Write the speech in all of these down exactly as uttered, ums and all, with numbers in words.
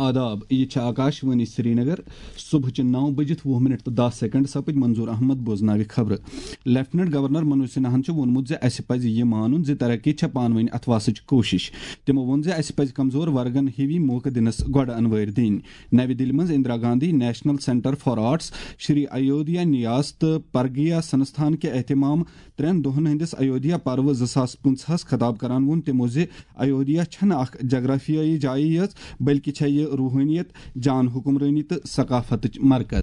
آداب، یہِ چھِ آکاش وانی سرینگر۔ صبحٕچہِ نَو بجِتھ وُہ منٹ تہٕ دَہ سیکنڈ سپٕدۍ۔ منظور احمد بوزناوِ خبرٕ۔ لیفٹیننٹ گورنر منوج سنہاہن چھُ ووٚنمُت زِ اسہِ پزِ یہِ مانُن زِ ترقی چھےٚ پانہٕ ؤنۍ اتھواسٕچ کوٗشش۔ تِمو ووٚن زِ اسہِ پزِ کمزور ورگن ہِوی موقعہٕ دِنس گۄڈٕ انوٲرۍ دِنۍ۔ نَوِ دِلہِ منٛز Indira Gandhi national centre for arts, Shri Ayodhya Nyas تہٕ پرگیا سنستھان کہِ اہتمام ترٛٮ۪ن دۄہن ہٕنٛدِس ایودھیا پرو زٕ ساس پٕنٛژٕہس خطاب کران ووٚن تِمو زِ ایودھیا چھنہٕ اکھ جغرافیٲیی جایے یٲژ، بلکہ چھےٚ یہِ روحٲنیت، جان حکمرٲنی تہٕ ثقافتٕچ مرکز۔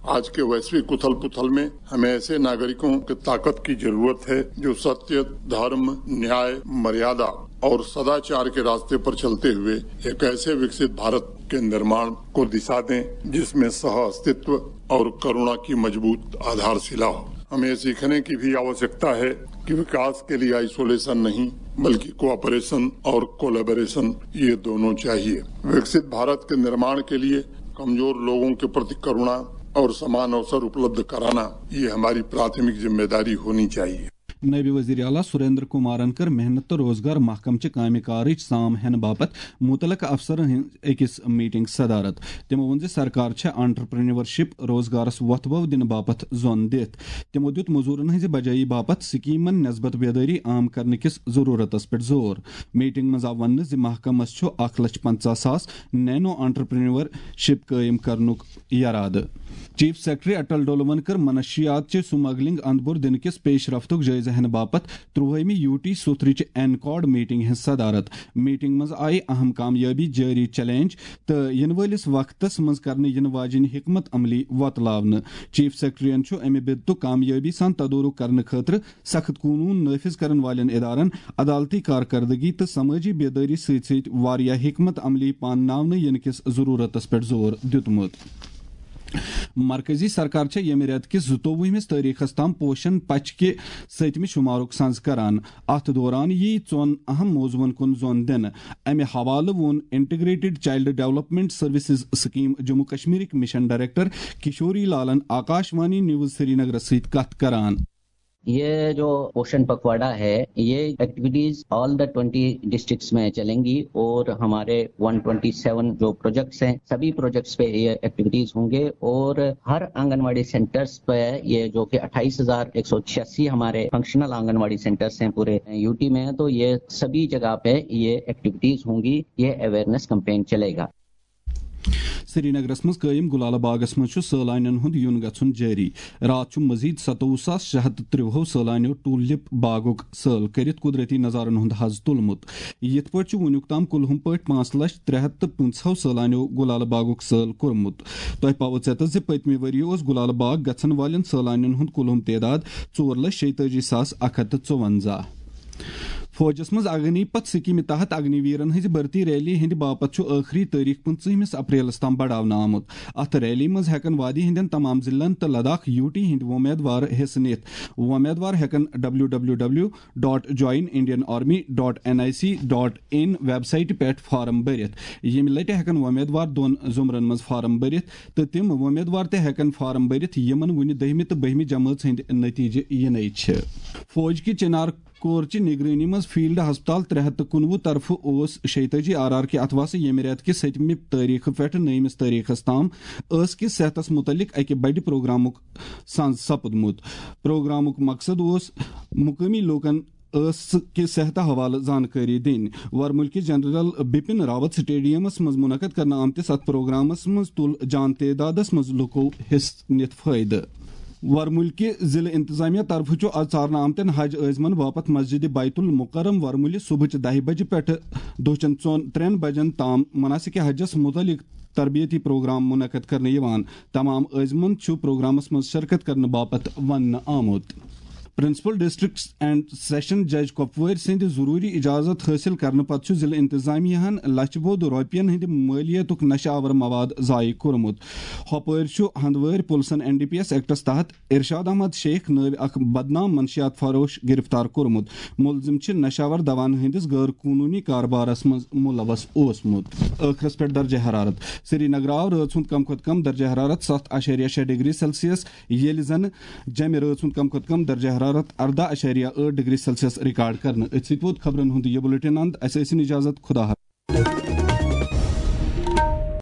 आज के वैश्विक उथल पुथल में हमें ऐसे नागरिकों की ताकत की जरूरत है, जो सत्य, धर्म, न्याय, मर्यादा और सदाचार के रास्ते पर चलते हुए एक ऐसे विकसित भारत के निर्माण को दिशा दें, जिसमें सह अस्तित्व और करुणा की मजबूत आधारशिला हो। हमें सीखने की भी आवश्यकता है कि विकास के लिए आइसोलेशन नहीं, बल्कि कोऑपरेशन और कोलैबोरेशन, ये दोनों चाहिए। विकसित भारत के निर्माण के लिए कमजोर लोगों के प्रति करुणा और समान अवसर उपलब्ध कराना, ये हमारी प्राथमिक जिम्मेदारी होनी चाहिए। نٲیِب وزیر اعلیٰ سریندر کمارن کٔر محنت تہٕ روزگار محکمہٕ چہِ کامہِ کارٕچ سام ہینہٕ باپتھ مُتعلقہٕ افسرن ہٕنٛز أکِس میٹنگ صدارت۔ تِمو ووٚن زِ سرکار چھےٚ انٹرپرینیورشپ، روزگارس وۄتھٕ بو دِنہٕ باپتھ زۄن دِتھ۔ تِمو دیُت مٔزوٗرن ہٕنٛزِ بجٲیی باپتھ سکیمن نسبت بیدٲری عام کرنہٕ کِس ضروٗرتس پٮ۪ٹھ زور۔ میٹنگ منٛز آو وننہٕ زِ محکمس چھُ اکھ لچھ پنژاہ ساس نینو انٹرپرینیورشپ قٲیِم کرنُک یرادٕ۔ چیف سیکرٹری اٹل ڈولون کٔر منشیات چہِ سمگلنگ اندپور دِنہٕ کِس پیش رفتُک جٲیزٕ ہینہٕ باپتھ ترٛوہٲیمہِ یوٗ ٹی سوتھرٕچہِ اینکاڈ میٹنگ ہٕنٛز صدارت۔ میٹنگ منٛز آیہِ اہم کامیٲبی، جٲری چیلنج تہٕ یِنہٕ وٲلِس وقتس منٛز کرنہٕ یِنہٕ واجیٚنۍ حکمت عملی وۄتلاونہٕ۔ چیف سیکرٹریَن چھُ امہِ بدتُک کامیٲبی سان تدورُک کرنہٕ خٲطرٕ سخت قونوٗن نافذ کرن والٮ۪ن ادارن عدالتی کارکردگی تہٕ سمٲجی بیدٲری سۭتۍ سۭتۍ واریاہ حکمت عملی پانناونہٕ یِنہٕ کِس ضروٗرتس پٮ۪ٹھ زور دیُتمُت۔ مرکزی سرکار چھےٚ ییٚمہِ رٮ۪تہٕ کِس زٕتووُہمِس تٲریخس تام پوشن پچہِ کہِ سٔتمہِ شُمارُک سنز کران۔ اتھ دوران یِیہِ ژۄن اہم موضوعن کُن زۄن دِنہٕ۔ امہِ حوالہٕ ووٚن integrated child development services scheme Jammu کشمیرٕکۍ مشن ڈائریکٹر کشوری لالن آکاش وانی نیوز سرینگرس سۭتۍ کتھ کران۔ یہ جو پوشن پکواڑا ہے، یہ activities all the twenty districts میں چلیں گی اور ہمارے ون ٹوئنٹی سیون جو پروجیکٹس ہیں، سبھی پروجیکٹس پہ یہ ایکٹیویٹیز ہوں گے اور ہر آنگن واڑی سینٹرز پہ یہ جو کہ اٹھائیس ہزار ایک سو چھیاسی ہمارے فنکشنل آنگن واڑی سینٹرز ہیں پورے یو ٹی میں، تو یہ سبھی جگہ پہ یہ ایکٹیویٹیز ہوں گی، یہ اویئرنیس کمپین چلے گا۔ سرینگرس منٛز قٲیِم گُلالہٕ باغس منٛز چھُ سٲلانٮ۪ن ہُنٛد یُن گژھُن جٲری۔ راتھ چھُ مزید ستووُہ ساس شےٚ ہتھ تہٕ ترٛوہو سٲلانیو ٹولپ باغُک سٲل کٔرِتھ قدرتی نظارن ہُنٛد حظ تُلمُت۔ یِتھ پٲٹھۍ چھُ وُنیُک تام کُلہُم پٲٹھۍ پانٛژھ لچھ ترٛےٚ ہتھ تہٕ پٕنٛژٕہو سٲلانیو گُلالہٕ باغُک سٲل کوٚرمُت۔ تۄہہِ پاوو ژیتس زِ پٔتمہِ ؤرۍ یہِ اوس گُلالہٕ باغ گژھن والٮ۪ن سٲلانٮ۪ن ہُنٛد کُلہُم تعداد ژور لچھ شیٚیہِ تٲجی ساس اکھ ہتھ تہٕ ژُونزہ۔ فوجس منٛز اگنی پتھ سکیمہِ تحت اگنی ویرن ہٕنٛزِ بھرتی ریلی ہٕنٛدِ باپتھ چھُ ٲخری تٲریخ پٕنٛژٕہمِس اپریلس تام بڑاونہٕ آمُت۔ اتھ ریلی منٛز ہٮ۪کن وادی ہٕنٛدٮ۪ن تمام ضلعن تہٕ لداخ یوٗ ٹی ہٕنٛدۍ وۄمیدوار حصہٕ نِتھ۔ وۄمیدوار ہٮ۪کن W W W dot join Indian army dot N I C dot in ویب سائٹہِ پٮ۪ٹھ فارم بٔرِتھ۔ ییٚمہِ لٹہِ ہٮ۪کن وۄمیدوار دۄن زُمرن منٛز فارم بٔرِتھ تہٕ تِم وۄمیدوار تہِ ہٮ۪کن فارم بٔرِتھ، یِمن وُنہِ دٔہمہِ تہٕ بٔہمہِ جمٲژ ہٕنٛدۍ نتیجہِ یِنٕے چھِ۔ فوج کہِ چنار کور چہِ نگرٲنی منٛز فیلڈ ہسپتال ترٛےٚ ہتھ تہٕ کُنوُہ طرفہٕ اوس شیٚیہِ تٲجی آر آر کہِ اتھواسہٕ ییٚمہِ رٮ۪تہٕ کہِ سٔتمہِ تٲریخہٕ پٮ۪ٹھٕ نٔیمِس تٲریخس تام ٲس کِس صحتس مُتعلق اکہِ بٔڑِ پروگرامُک سنز سپُدمُت۔ پروگرامُک مقصد اوس مقٲمی لوٗکن ٲس کہِ صحتہٕ حوالہٕ زانکٲری دِنۍ۔ ورمُلکہِ جنرل بپن راوت سٹیڈیمس منٛز منعقد کرنہٕ آمتِس اتھ پروگرامس منٛز تُل جان تعدادس منٛز لُکو حصہٕ نِتھ فٲیدٕ۔ ورمُلکہِ ضلعہٕ انتظامیہ طرفہٕ چھُ از ژارنہٕ آمتٮ۪ن حج عٲزمن باپتھ مسجد بیت المکرم ورمُلہِ صبحٕچہِ دَہہِ بجہِ پٮ۪ٹھٕ دۄہچٮ۪ن ژۄن ترٛٮ۪ن بجن تام مناسک حجس مُتعلق تربیتی پروگرام منعقد کرنہٕ یِوان۔ تمام عٲزمن چھُ پروگرامس منٛز شرکت کرنہٕ باپتھ وننہٕ آمُت۔ پرنسپل ڈسٹرکٹ اینڈ سیشن جج کۄپوٲرۍ سٕنٛدِ ضروٗری اجازت حٲصِل کرنہٕ پتہٕ چھُ ضلعہٕ انتظامیہ ہن لچھِ بوٚد رۄپین ہٕنٛدِ مٲلیتُک نشہٕ آور مواد ضایع کوٚرمُت۔ ہۄپٲرۍ چھُ ہندوٲرۍ پُلسن این ڈی پی ایس ایکٹس تحت ارشاد احمد شیخ نٲوۍ اکھ بدنام منشیات فروش گرفتار کوٚرمُت۔ مُلزِم چھِ نشہٕ آور دوہن ہٕنٛدِس غٲر قونوٗنی کاربارس منٛز مُلوث اوسمُت۔ ٲخرس پٮ۪ٹھ درجہ حرارت۔ سرینگر آو رٲژ ہُنٛد کم کھۄتہٕ کم درجہ حرارت ستھ اَشاریہ شےٚ ڈگری سیلسیس، ییٚلہِ زن جمہِ رٲژ ہُنٛد کم کھۄتہٕ کم درجہ حرارت ارداہ اَشاریہ ٲٹھ ڈگری سیلسیس ریکارڈ کرنہٕ۔ أتھۍ سۭتۍ ووت خبرن ہُنٛد یہِ بُلٹن اند۔ اسہِ ٲسِن اجازت، خدا حافظ۔